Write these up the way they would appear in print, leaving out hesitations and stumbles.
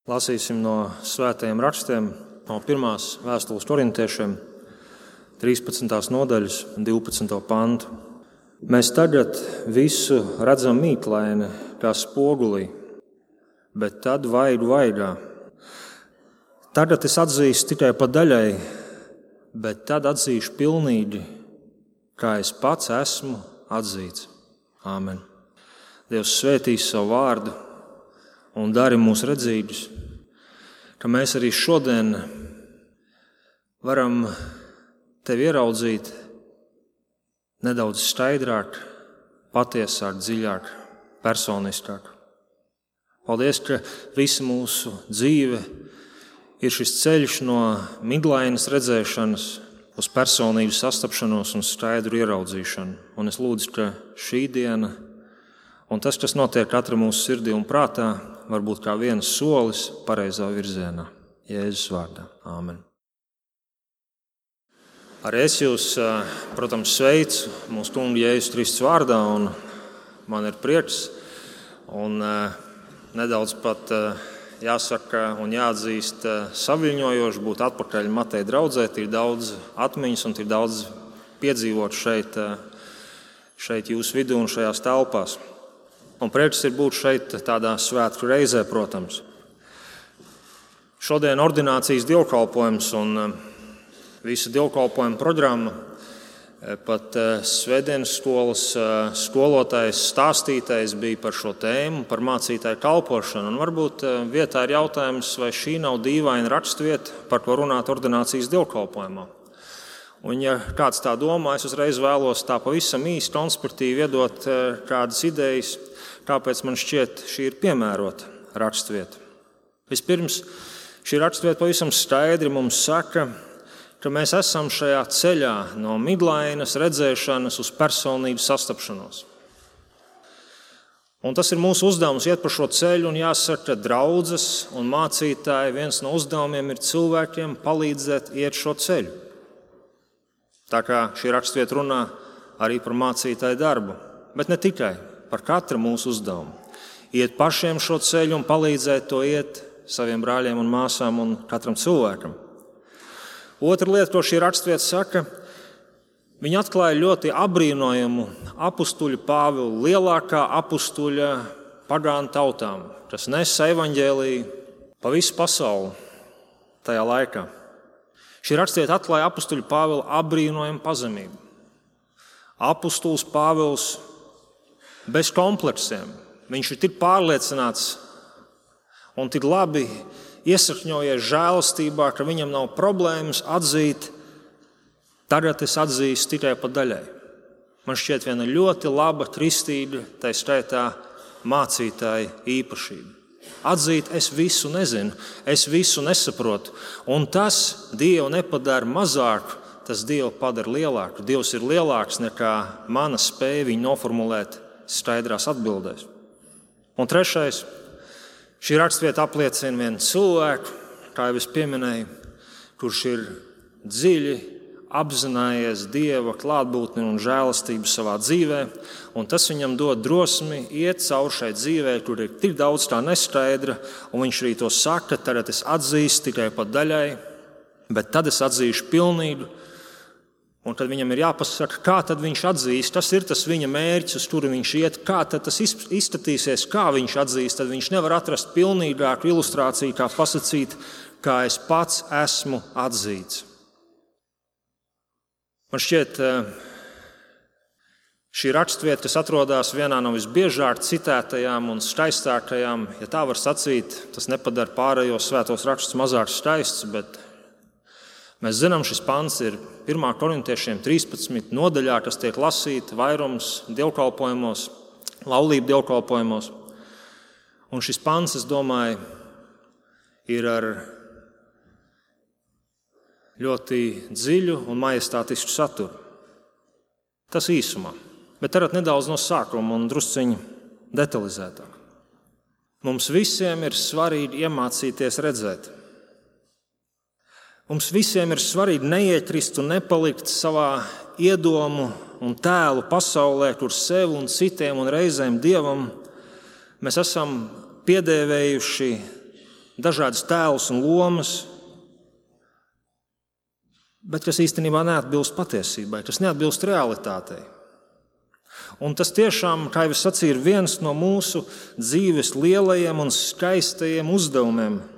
Lasīsim no svētajiem rakstiem, no pirmās vēstules korintiešiem, 13. nodaļas, 12. pantu. Mēs tagad visu redzam mīklaini, kā spogulī, bet tad vaigu vaigā. Tagad es atzīstu tikai pa daļai, bet tad atzīšu pilnīgi, kā es pats esmu atzīts. Āmen. Dievs svētīs savu vārdu un dari mūs redzīgus, ka mēs arī šodien varam Tevi ieraudzīt nedaudz skaidrāk, patiesāk, dziļāk, personiskāk. Paldies, ka visa mūsu dzīve ir šis ceļš no miglainas redzēšanas uz personības sastapšanos un skaidru ieraudzīšanu. Un es lūdzu, ka šī diena un tas, kas notiek katra mūsu sirdī un prātā, var būt kā viens solis pareizā virzienā. Jēzus vārdā. Āmen. Arī es jūs, protams, sveicu mūsu kunga Jēzus Kristus vārdā, un man ir prieks. Un nedaudz pat jāsaka un jāatzīst saviņojoši būt atpakaļ Mateja draudzē. Ir daudz atmiņas un ir daudz piedzīvot šeit jūsu vidū un šajās telpās. Un prieks ir būt šeit tādā svētku reizē, protams. Šodien ordinācijas dievkalpojums un visa dievkalpojuma programma, pat svētdienas skolas skolotājs stāstītais bija par šo tēmu, par mācītāju kalpošanu. Un varbūt vietā ir jautājums, vai šī nav dīvaina rakstvieta, par ko runāt ordinācijas dievkalpojumā. Un ja kāds tā domā, es uzreiz vēlos tā pavisam īsti konspektīvi iedot kādas idejas, kāpēc man šķiet šī ir piemērota rakstvieta. Vispirms, šī rakstvieta pavisam skaidri mums saka, ka mēs esam šajā ceļā no miglainas redzēšanas uz personības sastapšanos. Un tas ir mūsu uzdevums iet pa šo ceļu, un jāsaka, ka draudzes un mācītāji viens no uzdevumiem ir cilvēkiem palīdzēt iet šo ceļu. Tā kā šī rakstvieta runā arī par mācītāju darbu, bet ne tikai par katru mūsu uzdevumu. Iet pašiem šo ceļu un palīdzēt to iet saviem brāļiem un māsām un katram cilvēkam. Otra lieta, ko šī rakstvieta saka, viņa atklāja ļoti apbrīnojamu apustuļa Pāvila, lielākā apustuļa pagānu tautām, kas nesa evaņģēliju pa visu pasauli tajā laikā. Šī rakstvieta atklāja apustuļa Pāvila apbrīnojamu pazemību. Apustulis Pāvils bez kompleksiem. Viņš ir tik pārliecināts un tik labi iesakņojies žēlastībā, ka viņam nav problēmas atzīt, tagad es atzīstu tikai pa daļai. Man šķiet viena ļoti laba kristīga, tā skaitā mācītāja īpašība. Atzīt, es visu nezinu, es visu nesaprotu, un tas Dievu nepadara mazāku, tas Dievu padara lielāku. Dievs ir lielāks nekā mana spēja viņu noformulēt skaidrās atbildēs. Un trešais, šī rakstvieta apliecina vienu cilvēku, kā jau es pieminēju, kurš ir dziļi apzinājies Dieva klātbūtni un žēlastību savā dzīvē, un tas viņam dod drosmi iet cauri šai dzīvē, kur ir tik daudz tā neskaidra, un viņš arī to saka, tagad es atzīstu tikai pa daļai, bet tad es atzīšu pilnīgu. Un tad viņam ir jāpasaka, kā tad viņš atzīst, tas ir tas viņa mērķis, uz kuru viņš iet, kā tad tas izskatīsies, kā viņš atzīst, tad viņš nevar atrast pilnīgāku ilustrāciju, kā pasakīt, kā es pats esmu atzīts. Man šķiet, šī rakstvieta, kas atrodas vienā no visbiežāk citētajām un skaistākajām, ja tā var sacīt, tas nepadara pārējos svētos rakstus mazāk skaists, bet mēs zinām, šis pants ir 1. korintiešiem 13. nodaļā, kas tiek lasīta vairums dievkalpojumos, laulību dievkalpojumos. Un šis pants, es domāju, ir ar ļoti dziļu un majestātisku saturu. Tas īsumā, bet tagad nedaudz no sākuma un drusciņi detalizētāk. Mums visiem ir svarīgi iemācīties redzēt. Mums visiem ir svarīgi neiekrist un nepalikt savā iedomu un tēlu pasaulē, kur sev un citiem un reizēm Dievam mēs esam piedēvējuši dažādas tēlus un lomas, bet kas īstenībā neatbilst patiesībai, kas neatbilst realitātei. Un tas tiešām, kā jau es sacīju, ir viens no mūsu dzīves lielajiem un skaistajiem uzdevumiem –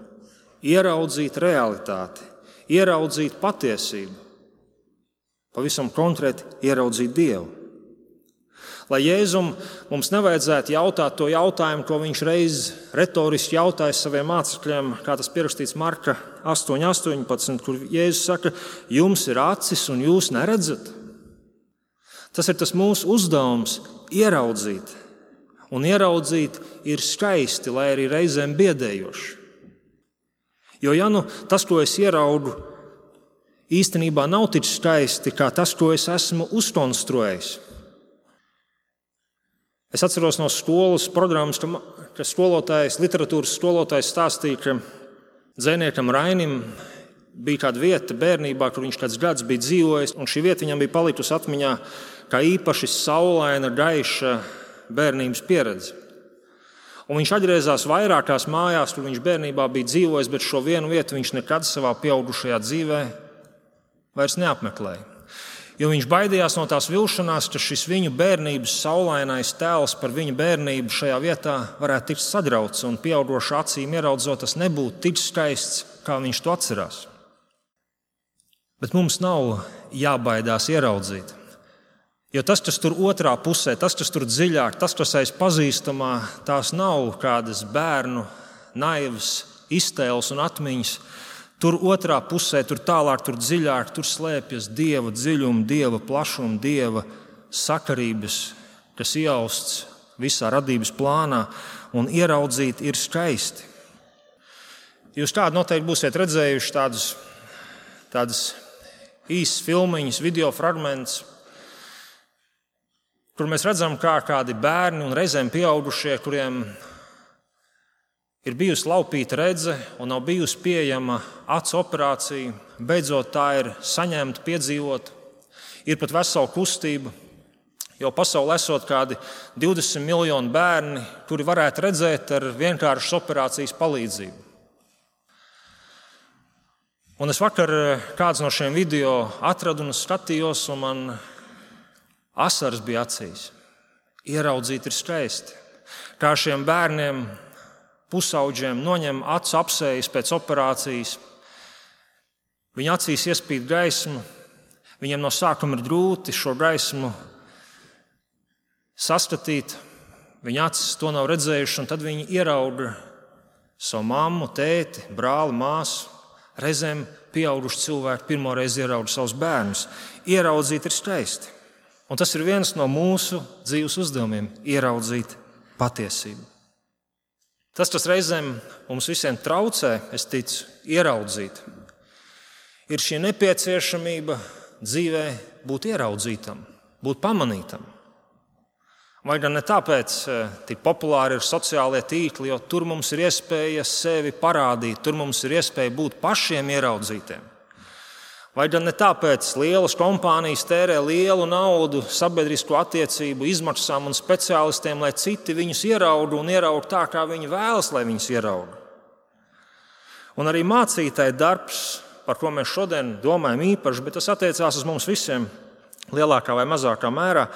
ieraudzīt realitāti, ieraudzīt patiesību, pavisam konkrēti ieraudzīt Dievu. Lai Jēzum mums nevajadzētu jautāt to jautājumu, ko viņš reiz retoriski jautāja saviem mācekļiem, kā tas pierakstīts Marka 8:18, kur Jēzus saka, jums ir acis un jūs neredzat. Tas ir tas mūsu uzdevums – ieraudzīt. Un ieraudzīt ir skaisti, lai arī reizēm biedējoši. Jo ja nu tas, ko es ieraugu, īstenībā nav tik skaisti, kā tas, ko es esmu uzkonstruējis. Es atceros no skolas programmas, ka literatūras skolotājs stāstīja, ka dzejniekam Rainim bija kāda vieta bērnībā, kur viņš kāds gads bija dzīvojis, un šī vieta viņam bija palikusi atmiņā kā īpaši saulaina, gaiša bērnības pieredze. Un viņš atgriezās vairākās mājās, kur viņš bērnībā bija dzīvojis, bet šo vienu vietu viņš nekad savā pieaugušajā dzīvē vairs neapmeklēja. Jo viņš baidījās no tās vilšanās, ka šis viņu bērnības saulainais tēls par viņu bērnību šajā vietā varētu tikt sagrauts un pieaugušu acīm ieraudzot, tas nebūtu tik skaists, kā viņš to atcerās. Bet mums nav jābaidās ieraudzīt. Jo tas, kas tur otrā pusē, tas, kas tur dziļāk, tas, kas aiz pazīstamā, tās nav kādas bērnu naivas iztēles un atmiņas. Tur otrā pusē, tur tālāk, tur dziļāk, tur slēpjas Dieva dziļuma, Dieva plašuma, Dieva sakarības, kas iejausts visā radības plānā, un ieraudzīt ir skaisti. Jūs kādi noteikti būsiet redzējuši tādas īsas filmiņas, video fragmentus, kur mēs redzam, kā kādi bērni un reizēm pieaugušie, kuriem ir bijusi laupīta redze un nav bijusi pieejama acu operācija, beidzot tā ir saņemta, piedzīvota. Ir pat vesela kustība, jo pasaulē esot kādi 20 miljoni bērni, kuri varētu redzēt ar vienkāršas operācijas palīdzību. Un es vakar kāds no šiem video atradu un skatījos, un man asaras bija acīs. Ieraudzīt ir skaisti. Kā šiem bērniem, pusauģiem noņem acu apsejas pēc operācijas. Viņa acīs iespīd gaismu. Viņiem no sākuma ir grūti šo gaismu saskatīt. Viņa acis to nav redzējuši, un tad viņi ierauga savu mammu, tēti, brāli, māsu. Reizēm pieauguši cilvēki pirmoreiz ierauga savus bērnus. Ieraudzīt ir skaisti. Un tas ir viens no mūsu dzīves uzdevumiem – ieraudzīt patiesību. Tas, kas reizēm mums visiem traucē, es ticu, ieraudzīt, ir šī nepieciešamība dzīvē būt ieraudzītam, būt pamanītam. Vai gan ne tāpēc tik populāri ir sociālie tīkli, jo tur mums ir iespēja sevi parādīt, tur mums ir iespēja būt pašiem ieraudzītiem. Vai gan ne tāpēc lielas kompānijas tērē lielu naudu sabiedrisko attiecību izmaksām un speciālistiem, lai citi viņus ierauga un ierauga tā, kā viņi vēlas, lai viņus ierauga. Un arī mācītāja darbs, par ko mēs šodien domājam īpaši, bet tas attiecās uz mums visiem lielākā vai mazākā mērā,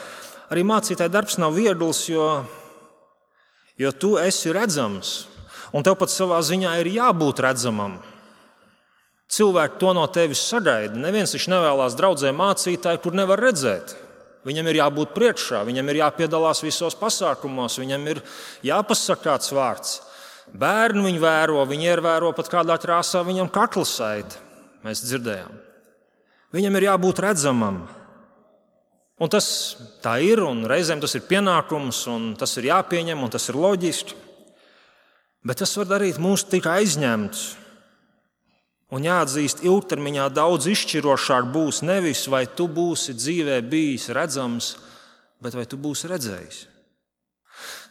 arī mācītāja darbs nav viegls, jo tu esi redzams, un tev pat savā ziņā ir jābūt redzamam. Cilvēki to no tevis sagaida. Neviens viņš nevēlas draudzē mācītāju, kur nevar redzēt. Viņam ir jābūt priekšā, viņam ir jāpiedalās visos pasākumos, viņam ir jāpasaka kāds vārds. Bērni viņu vēro, viņi ievēro pat kādā krāsā viņam kakla saiti. Mēs dzirdējām. Viņam ir jābūt redzamam. Un tas tā ir, un reizēm tas ir pienākums, un tas ir jāpieņem, un tas ir loģiski. Bet tas var darīt mūs tik aizņemts. Un jāatzīst, ilgtermiņā daudz izšķirošāk būs nevis, vai tu būsi dzīvē bijis redzams, bet vai tu būsi redzējis.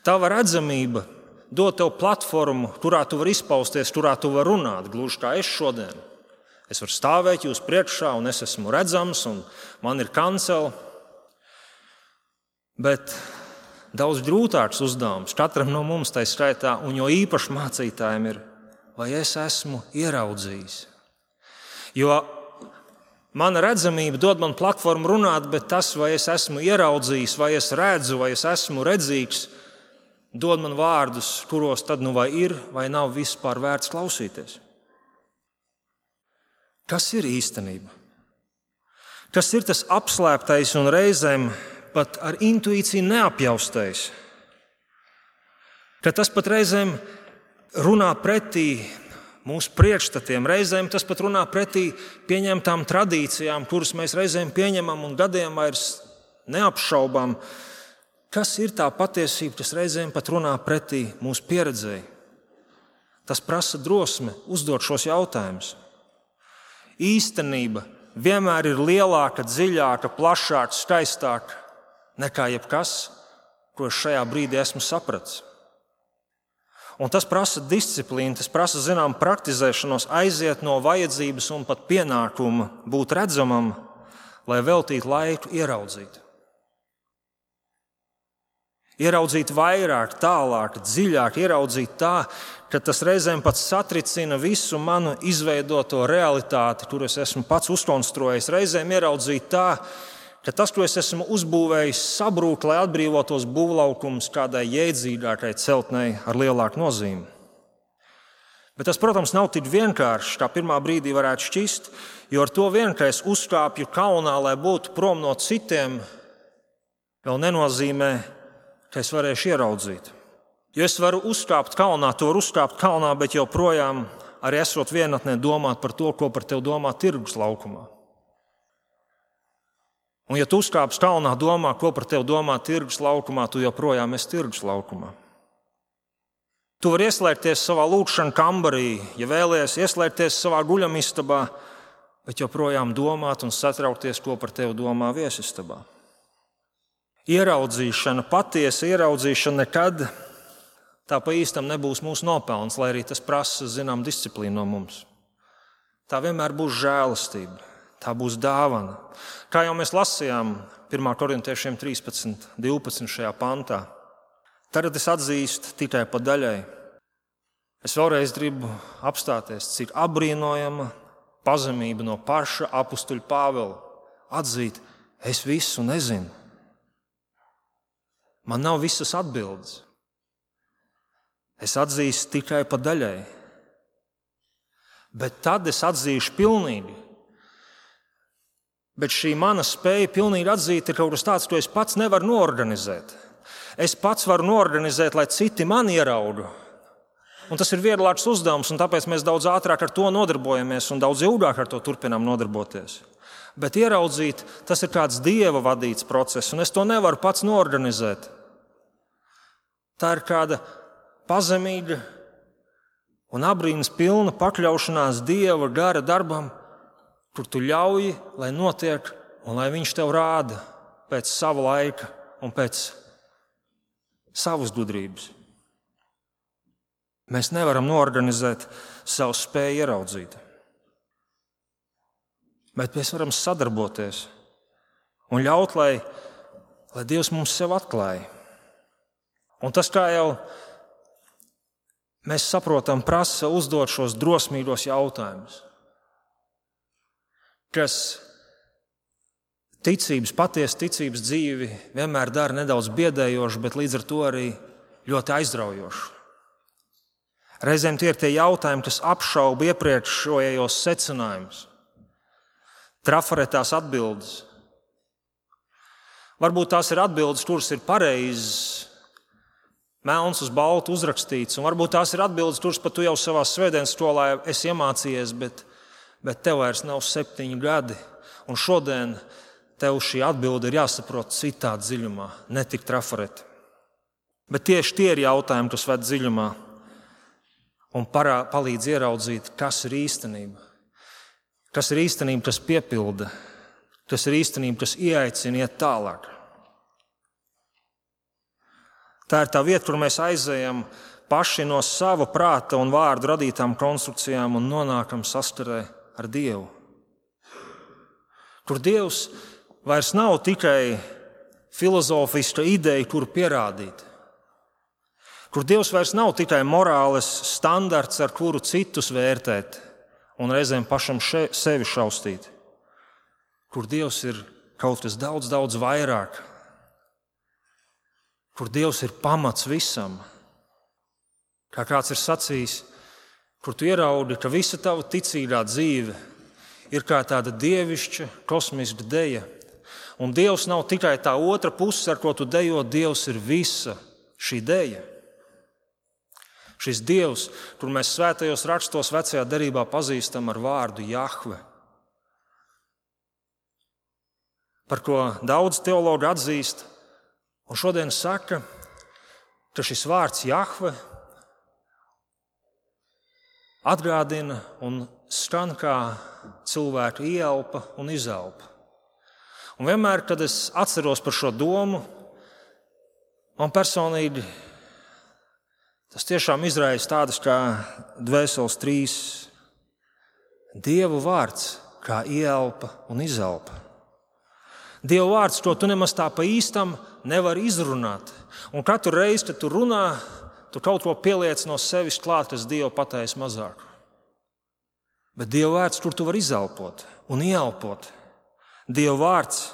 Tava redzamība dod tev platformu, kurā tu vari izpausties, kurā tu vari runāt, gluži kā es šodien. Es varu stāvēt jūs priekšā, un es esmu redzams, un man ir kancele. Bet daudz grūtāks uzdevums katram no mums tai skaitā, un jo īpaši mācītājiem ir vai es esmu ieraudzījis. Jo mana redzamība dod man platformu runāt, bet tas, vai es esmu ieraudzījis, vai es redzu, vai es esmu redzīgs, dod man vārdus, kuros tad nu vai ir, vai nav vispār vērts klausīties. Kas ir īstenība? Kas ir tas apslēptais un reizēm pat ar intuīciju neapjaustais? Ka tas pat reizēm runā pretī mūsu priekšstatiem, reizēm tas pat runā pretī pieņemtām tradīcijām, kuras mēs reizēm pieņemam un gadiem vairs neapšaubām. Kas ir tā patiesība, kas reizēm pat runā pretī mūsu pieredzēji? Tas prasa drosmi uzdot šos jautājumus. Īstenība vienmēr ir lielāka, dziļāka, plašāka, skaistāka nekā jebkas, ko es šajā brīdī esmu sapratis. Un tas prasa disciplīnu, tas prasa zinām praktizēšanos, aiziet no vajadzības un pat pienākuma būt redzamam, lai veltītu laiku ieraudzīt. Ieraudzīt vairāk, tālāk, dziļāk, ieraudzīt tā, ka tas reizēm pat satricina visu manu izveidoto realitāti, kur es esmu pats uzkonstruējis. Reizēm ieraudzīt tā, ka tas, ko es esmu uzbūvējis, sabrūk, lai atbrīvotos būvlaukums kādai jēdzīgākai celtnei ar lielāku nozīmi. Bet tas, protams, nav tik vienkārši, kā pirmā brīdī varētu šķist, jo ar to vien, ka es uzkāpju kalnā, lai būtu prom no citiem, vēl nenozīmē, ka es varēšu ieraudzīt. Jo es varu uzkāpt kalnā, to var uzkāpt kalnā, bet joprojām arī esot vienatnē domāt par to, ko par tevi domā tirgus laukumā. Un ja tu uzkāpsi kalnā, domā, ko par tevi domā tirgus laukumā, tu joprojām esi tirgus laukumā. Tu vari ieslēgties savā lūkšana kambarī, ja vēlies ieslēgties savā guļamistabā, bet joprojām domāt un satraukties, ko par tevi domā viesistabā. Ieraudzīšana, patiesa ieraudzīšana nekad tā pa īstam nebūs mūsu nopelns, lai arī tas prasa zinām disciplīnu no mums. Tā vienmēr būs žēlastība, tā būs dāvana. Kā jau mēs lasījām 1. Korintiešiem 13.12. šajā pantā. Tagad es atzīstu tikai pa daļai. Es vēlreiz gribu apstāties, cik apbrīnojama pazemība no paša apustuļa Pāvela. Atzīt, es visu nezinu. Man nav visas atbildes. Es atzīstu tikai pa daļai. Bet tad es atzīšu pilnīgi. Bet šī mana spēja pilnīgi atzīt ir kaut kas tāds, ko es pats nevaru noorganizēt. Es pats varu noorganizēt, lai citi mani ierauga. Un tas ir vieglāks uzdevums, un tāpēc mēs daudz ātrāk ar to nodarbojamies un daudz ilgāk ar to turpinām nodarboties. Bet ieraudzīt, tas ir kāds Dieva vadīts process, un es to nevaru pats noorganizēt. Tā ir kāda pazemīga un apbrīnas pilna pakļaušanās Dieva gara darbam, kur tu ļauj, lai notiek un lai viņš tev rāda pēc sava laika un pēc savas gudrības. Mēs nevaram noorganizēt savu spēju ieraudzīt. Bet mēs varam sadarboties un ļaut, lai Dievs mums sev atklāja. Un tas, kā jau mēs saprotam, prasa uzdot šos drosmīgos jautājumus, kas patiesa ticības dzīvi vienmēr dara nedaudz biedējošu, bet līdz ar to arī ļoti aizraujošu. Reizēm tie ir tie jautājumi, kas apšauba iepriekšējos secinājumus, trafaretās atbildes. Varbūt tās ir atbildes, kuras ir pareizas, melns uz baltu uzrakstīts, un varbūt tās ir atbildes, kuras pat tu jau savā svētdienas skolā esi iemācījies, bet tev vairs nav 7 gadi, un šodien tev šī atbilde ir jāsaprot citā dziļumā, ne tik trafareti. Bet tieši tie ir jautājumi, kas ved dziļumā un palīdz ieraudzīt, kas ir īstenība. Kas ir īstenība, kas piepilda, kas ir īstenība, kas ieaicina iet tālāk. Tā ir tā vieta, kur mēs aizejam paši no sava prāta un vārdu radītām konstrukcijām un nonākam saskarē ar Dievu. Kur Dievs vairs nav tikai filozofiska ideja, kuru pierādīt. kur Dievs vairs nav tikai morāles standarts, ar kuru citus vērtēt un reizēm pašam sevi šaustīt, kur Dievs ir kaut kas daudz, daudz vairāk, kur Dievs ir pamats visam. Kā kāds ir sacījis, kur tu ieraudi, ka visa tava ticīgā dzīve ir kā tāda dievišķa, kosmiska deja. Un Dievs nav tikai tā otra puse, ar ko tu dejo, Dievs ir visa šī deja. Šis Dievs, kur mēs svētajos rakstos vecajā derībā pazīstam ar vārdu Jahve, par ko daudz teologi atzīst, un šodien saka, ka šis vārds Jahve atgādina un skan kā cilvēka ieelpa un izelpa. Un vienmēr, kad es atceros par šo domu, man personīgi tas tiešām izraisa tādas kā dvēseles trīs. Dieva vārds kā ieelpa un izelpa. Dieva vārds, ko tu nemaz tā pa īstam nevari izrunāt. Un katru reizi, kad tu runā, tu kaut ko pieliec no sevis klāt, kas Dievu pateiks mazāk. Bet Dieva vārds, kur tu vari izelpot un ieelpot. Dieva vārds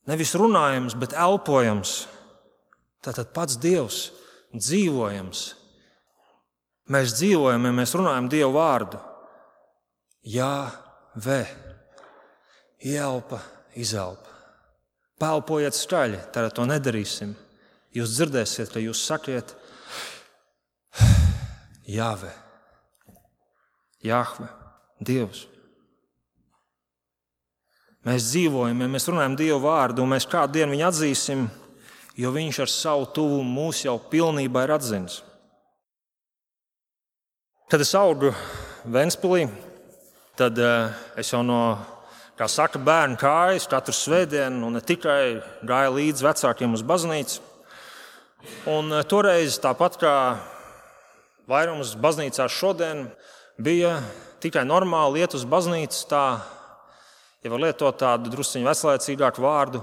nevis runājams, bet elpojams. Tātad pats Dievs dzīvojams. Mēs dzīvojam, ja mēs runājam Dievu vārdu. Jāve. Ieelpa, izelpa. Pelpojiet skaļi, tad to nedarīsim. Jūs dzirdēsiet, ka jūs sakiet Jāve. Jahve, Dievs. Mēs dzīvojam, ja mēs runājam Dievu vārdu, un mēs kādu dienu viņu atzīsim, jo viņš ar savu tuvumu mūs jau pilnībā ir atzinis. Kad es augu Ventspilī, tad es jau no, kā saka, bērnu kājas katru svētdienu, un ne tikai gāju līdz vecākiem uz baznīcu. Un toreiz, tāpat kā vairums baznīcās šodien, bija tikai normāli iet uz baznīcu tā, ja var lietot tādu drusciņu veselēcīgāku vārdu,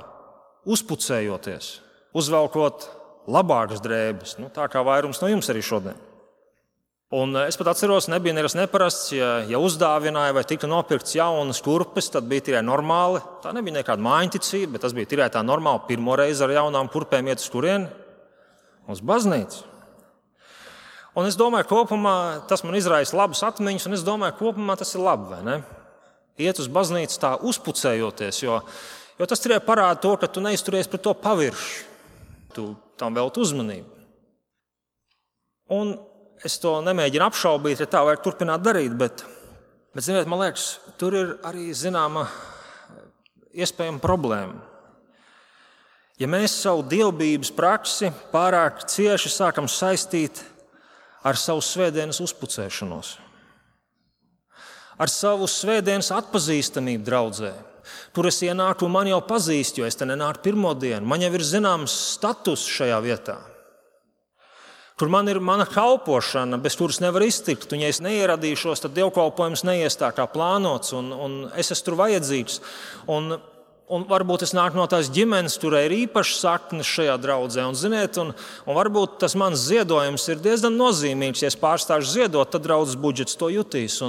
uzpucējoties, uzvelkot labākas drēbes, tā kā vairums no jums arī šodien. Un es pat atceros, nebija nekas neparasts, ja uzdāvināja vai tika nopirkts jaunas kurpes, tad bija tikai normāli. Tā nebija nekāda mājiņticība, bet tas bija tikai tā normāli pirmo reizi ar jaunām kurpēm iet uz kurieni, uz baznīcu. Un es domāju, kopumā tas man izraisa labas atmiņas, un es domāju, kopumā tas ir labi, vai ne? Iet uz baznīcu tā uzpucējoties, jo tas tikai parāda to, ka tu neizturies pret to pavirši. Tu tam velti uzmanību. Un es to nemēģinu apšaubīt, ja tā vajag turpināt darīt, bet ziniet, man liekas, tur ir arī zināma iespējama problēma. Ja mēs savu dievbības praksi pārāk cieši sākam saistīt ar savu svētdienas uzpucēšanos, ar savu svētdienas atpazīstamību draudzē. Tur es ienāku un man jau pazīst, jo es te nenāku pirmo dienu. Man jau ir zināms status šajā vietā. Tur man ir mana kalpošana, bez kuras nevar iztikt. Un ja es neieradīšos, tad dievkalpojums neies tā kā plānots, un es esmu tur vajadzīgs. Un varbūt es nāku no tās ģimenes, kurai ir īpašas saknes šajā draudzē. Un, ziniet, un varbūt tas mans ziedojums ir diezgan nozīmīgs. Ja es pārstāšu ziedot, tad draudzes budžets to jutīs.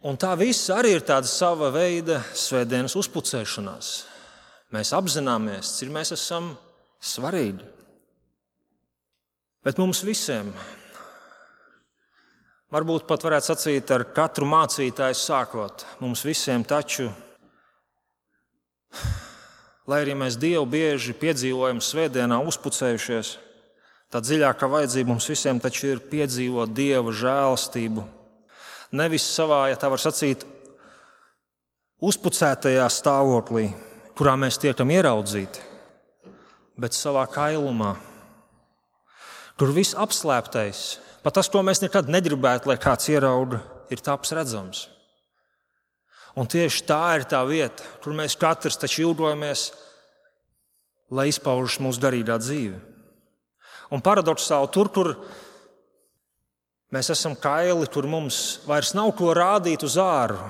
Un tā viss arī ir tāda sava veida svētdienas uzpucēšanās. Mēs apzināmies, cik mēs esam svarīgi. Bet mums visiem, varbūt pat varētu sacīt ar katru mācītāju sākot, mums visiem taču, lai arī mēs Dievu bieži piedzīvojam svētdienā uzpucējušies, tā dziļākā vajadzība mums visiem taču ir piedzīvot Dieva žēlastību. Nevis savā, ja tā var sacīt, uzpucētajā stāvoklī, kurā mēs tiekam ieraudzīti, bet savā kailumā, kur viss apslēptais, pat tas, ko mēs nekad negribētu, lai kāds ierauga, ir taps redzams. Un tieši tā ir tā vieta, kur mēs katrs taču ilgojamies, lai izpaužas mūsu garīgā dzīve. Un paradoksāli tur, kur mēs esam kaili, kur mums vairs nav ko rādīt uz āru,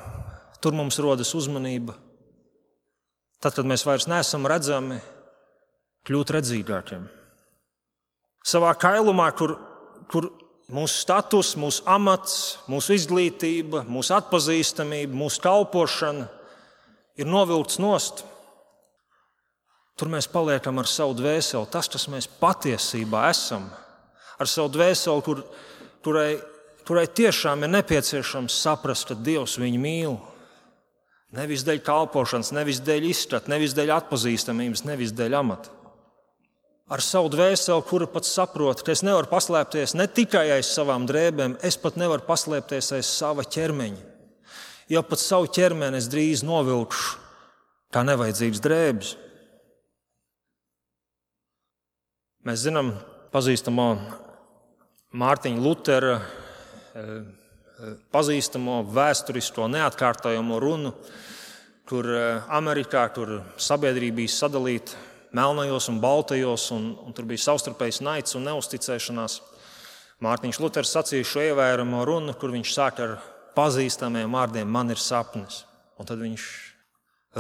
tur mums rodas uzmanība. Tad, kad mēs vairs neesam redzami, kļūt redzīgākiem. Savā kailumā, kur mūsu status, mūsu amats, mūsu izglītība, mūsu atpazīstamība, mūsu kalpošana ir novilkts nost. Tur mēs paliekam ar savu dvēseli, tas, kas mēs patiesībā esam, ar savu dvēseli, kurai tiešām ir nepieciešams saprast, ka Dievs viņu mīl. Nevis dēļ kalpošanas, nevis dēļ izskata, nevis dēļ atpazīstamības, nevis dēļ amata. Ar savu dvēseli, kura pat saprot, ka es nevaru paslēpties ne tikai aiz savām drēbēm, es pat nevaru paslēpties aiz sava ķermeņa. Jo pat savu ķermeni es drīz novilkšu kā nevajadzīgas drēbes. Mēs zinām pazīstamo Mārtiņa Lutera pazīstamo vēsturisko neatkārtojamo runu, kur Amerikā, kur sabiedrība bija sadalīta melnajos un baltajos, un tur bija savstarpējs naids un neusticēšanās. Mārtiņš Luters sacīja šo ievēramo runu, kur viņš sāk ar pazīstamiem vārdiem: man ir sapnis. Un tad viņš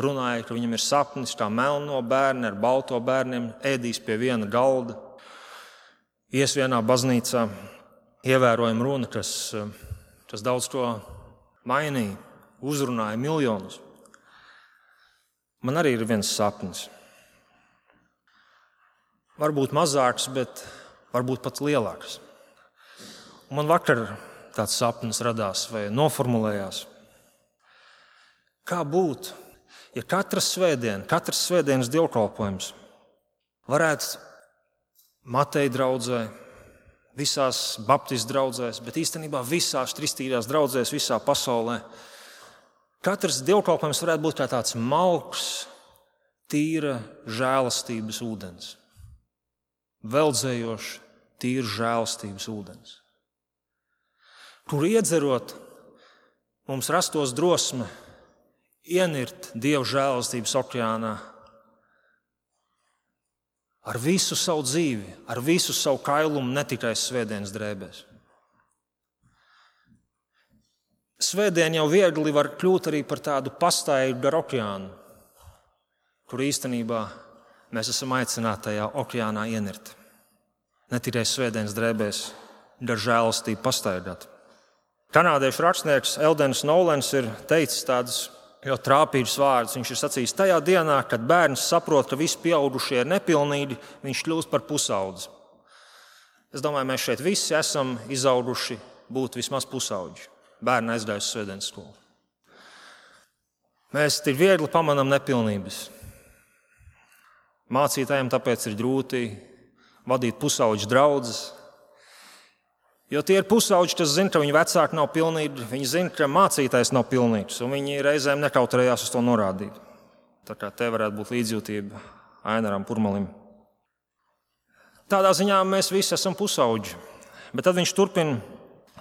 runāja, ka viņam ir sapnis, kā melno bērni ar balto bērniem ēdīs pie viena galda. Ies vienā baznīcā, ievērojama runa, kas daudz ko mainīja, uzrunāja miljonus. Man arī ir viens sapnis. Varbūt mazāks, bet varbūt pat lielāks. Un man vakar tāds sapnis radās vai noformulējās. Kā būtu, ja katras svētdienas dievkalpojums varētu Mateja draudzē, visās baptistu draudzēs, bet īstenībā visās kristīgās draudzēs visā pasaulē, katrs dievkalpojums varētu būt kā tāds malks, tīra žēlastības ūdens. Veldzējoši, tīra žēlastības ūdens. Kur iedzerot, mums rastos drosme ienirt Dieva žēlastības okeānā ar visu savu dzīvi, ar visu savu kailumu, ne tikai svētdienas drēbēs. Svētdien jau viegli var kļūt arī par tādu pastaigu gar okeānu, kur īstenībā mēs esam aicināti tajā okeānā ienirt. Ne tikai svētdienas drēbēs, gar žēlastību pastaigāt. Kanādiešu rakstnieks Eldens Nolens ir teicis tādus ļoti trāpīgus vārdus. Viņš ir sacījis: tajā dienā, kad bērns saprot, ka visi pieaugušie ir nepilnīgi, viņš kļūst par pusaudzi. Es domāju, mēs šeit visi esam izauguši būt vismaz pusauģi. Bērni aizgājuši uz svētdienas skolu. Mēs tik viegli pamanām nepilnības. Mācītājiem tāpēc ir grūti vadīt pusauģu draudzes, jo tie ir pusauģi, kas zina, ka viņu vecāki nav pilnīgi, viņi zina, ka mācītājs nav pilnīgs, un viņi reizēm nekautrējās uz to norādīt. Tā kā te varētu būt līdzjūtība Ainaram Purmalim. Tādā ziņā mēs visi esam pusauģi, bet tad viņš turpina: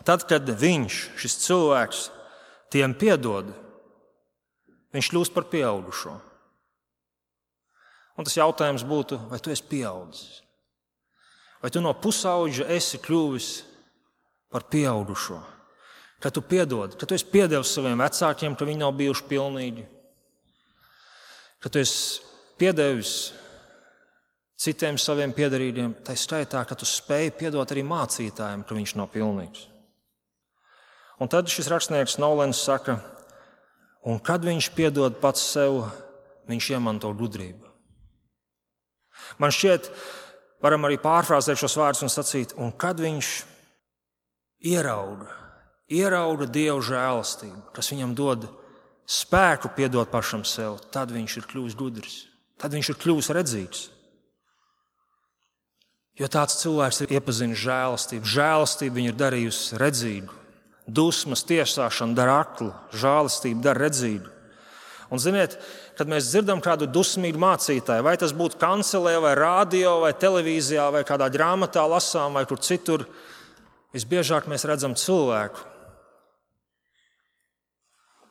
tad, kad viņš, šis cilvēks, tiem piedod, viņš kļūst par pieaugušo. Un tas jautājums būtu, vai tu esi pieaudzis? Vai tu no pusauģa esi kļuvis par pieaugušo? Kad tu piedod, kad tu esi piedevis saviem vecākiem, ka viņi nav bijuši pilnīgi? Kad tu esi piedevis citiem saviem piederīgiem, tā skaitā, ka tu spēj piedot arī mācītājiem, ka viņš nav pilnīgs. Un tad šis rakstnieks Nolens saka: un kad viņš piedod pats sev, viņš iemanto gudrību. Man šķiet, varam arī pārfrāzēt šos vārdus un sacīt: un kad viņš ierauga Dieva žēlastību, kas viņam dod spēku piedot pašam sev, tad viņš ir kļuvis gudrs, tad viņš ir kļuvis redzīgs. Jo tāds cilvēks ir iepazinis žēlastību. Žēlastība viņu ir darījusi redzīgu. Dusmas, tiesāšana dara aklu, žēlastība dara redzīgu. Un ziniet, kad mēs dzirdam kādu dusmīgu mācītāju, vai tas būtu kancelē, vai rādio, vai televīzijā, vai kādā grāmatā lasām, vai kur citur, visbiežāk mēs redzam cilvēku,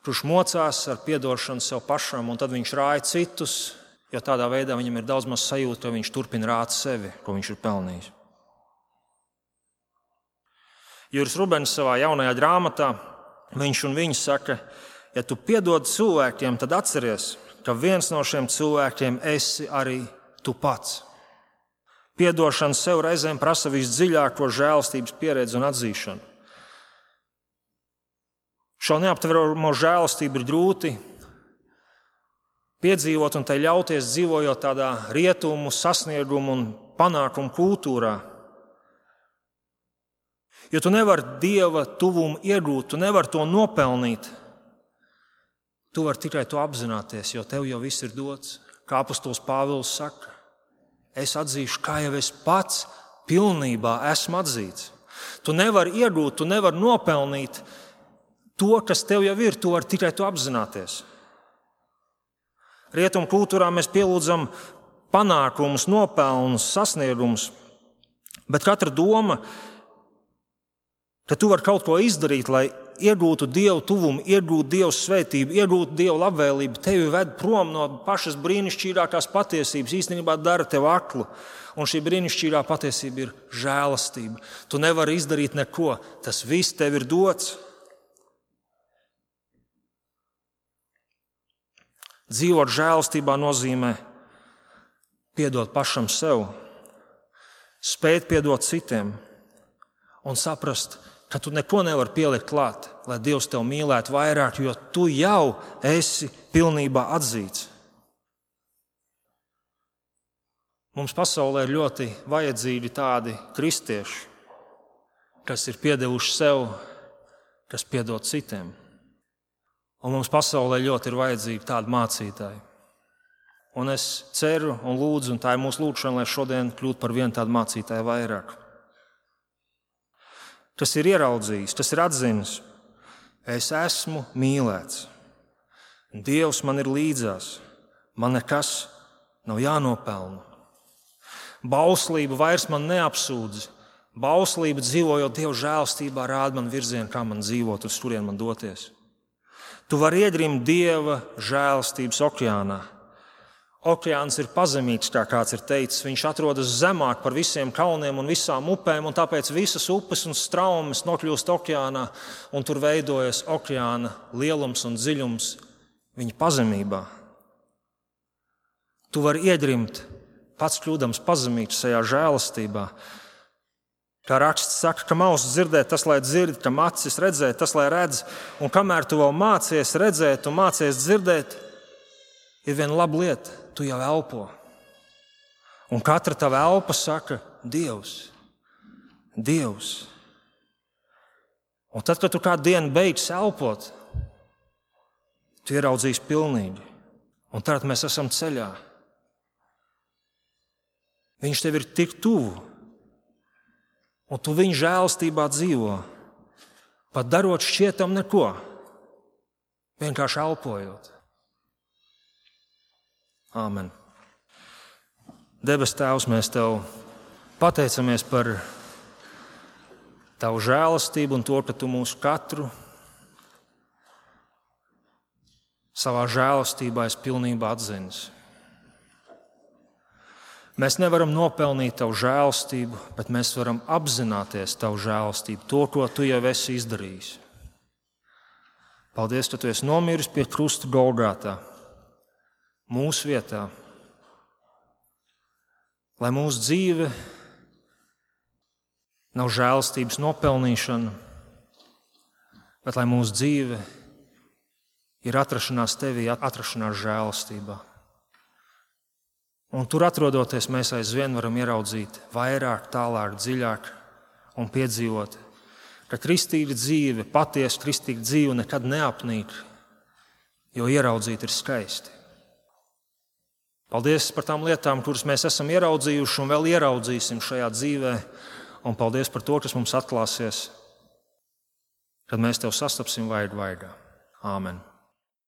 kurš mocās ar piedošanu sev pašam, un tad viņš rāja citus, jo tādā veidā viņam ir daudz maz sajūta, ka viņš turpina rāt sevi, ko viņš ir pelnījis. Juris Rubens savā jaunajā grāmatā, viņš un viņa saka: ja tu piedod cilvēkiem, tad atceries, ka viens no šiem cilvēkiem esi arī tu pats. Piedošana sev reizēm prasa visdziļāko žēlastības pieredzi un atzīšanu. Šo neaptveramo žēlastību ir grūti piedzīvot un tai ļauties dzīvojot tādā rietumu, sasniegumu un panākumu kultūrā. Jo tu nevari Dieva tuvumu iegūt, tu nevari to nopelnīt. Tu vari tikai to apzināties, jo tev jau viss ir dots. Kā apostols Pāvils saka, es atzīšu, kā jau es pats pilnībā esmu atzīts. Tu nevari iegūt, tu nevari nopelnīt to, kas tev jau ir, tu vari tikai to apzināties. Rietumu kultūrā mēs pielūdzam panākumus, nopelnus, sasniegumus, bet katra doma, ka tu vari kaut ko izdarīt, lai iegūtu Dievu tuvumu, iegūtu Dievu svētību, iegūtu Dievu labvēlību, tevi ved prom no pašas brīnišķīgākās patiesības, īstenībā dara tevi aklu. Un šī brīnišķīgā patiesība ir žēlastība. Tu nevari izdarīt neko, tas viss tev ir dots. Dzīvot žēlastībā nozīmē piedot pašam sev, spēt piedot citiem un saprast, ka tu neko nevari pielikt klāt, lai Dievs tev mīlētu vairāk, jo tu jau esi pilnībā atzīts. Mums pasaulē ir ļoti vajadzīgi tādi kristieši, kas ir piedevuši sev, kas piedod citiem. Un mums pasaulē ļoti ir vajadzīgi tādi mācītāji. Un es ceru un lūdzu, un tā ir mūsu lūgšana, lai šodien kļūtu par vienu tādu mācītāju vairāk. Kas ir ieraudzījis, kas ir atzinis, es esmu mīlēts. Dievs man ir līdzās, man nekas nav jānopelna. Bauslība vairs man neapsūdz. Bauslība dzīvojot Dieva žēlastībā rāda man virzienu, kā man dzīvot, uz kurien man doties. Tu vari iegrimt Dieva žēlastības okeānā. Okeāns ir pazemīgs, kā kāds ir teicis. Viņš atrodas zemāk par visiem kalniem un visām upēm, un tāpēc visas upes un straumes nokļūst okeānā, un tur veidojas okeāna lielums un dziļums viņa pazemībā. Tu vari iegrimt, pats kļūdams pazemīgs šajā žēlastībā. Kā raksts saka, kam auss dzirdēt, tas lai dzird, kam acis redzēt, tas lai redz. Un kamēr tu vēl mācies redzēt un mācies dzirdēt, ir viena laba lieta, tu jau elpo. Un katra tava elpa saka, Dievs, Dievs. Un tad, kad tu kādu dienu beigsi elpot, tu ieraudzīsi pilnīgi. Un tad mēs esam ceļā. Viņš tev ir tik tuvu. Un tu viņa žēlastībā dzīvo, pat darot šķietam neko, vienkārši elpojot. Āmen. Debes Tēvs, mēs Tev pateicamies par Tavu žēlastību un to, ka Tu mūs katru savā žēlastībā esi pilnībā atzinis. Mēs nevaram nopelnīt Tavu žēlastību, bet mēs varam apzināties Tavu žēlastību, to, ko Tu jau esi izdarījis. Paldies, ka Tu esi nomiris pie krusta Golgātā, mūsu vietā, lai mūsu dzīve nav žēlastības nopelnīšana, bet lai mūsu dzīve ir atrašanās Tevī, atrašanās žēlastībā. Un tur atrodoties, mēs aizvien varam ieraudzīt vairāk, tālāk, dziļāk un piedzīvot, ka kristīga dzīve, patiesa kristīga dzīve nekad neapnīk, jo ieraudzīt ir skaisti. Paldies par tām lietām, kuras mēs esam ieraudzījuši un vēl ieraudzīsim šajā dzīvē, un paldies par to, kas mums atklāsies, kad mēs Tev sastapsim vaigu vaigā. Āmen.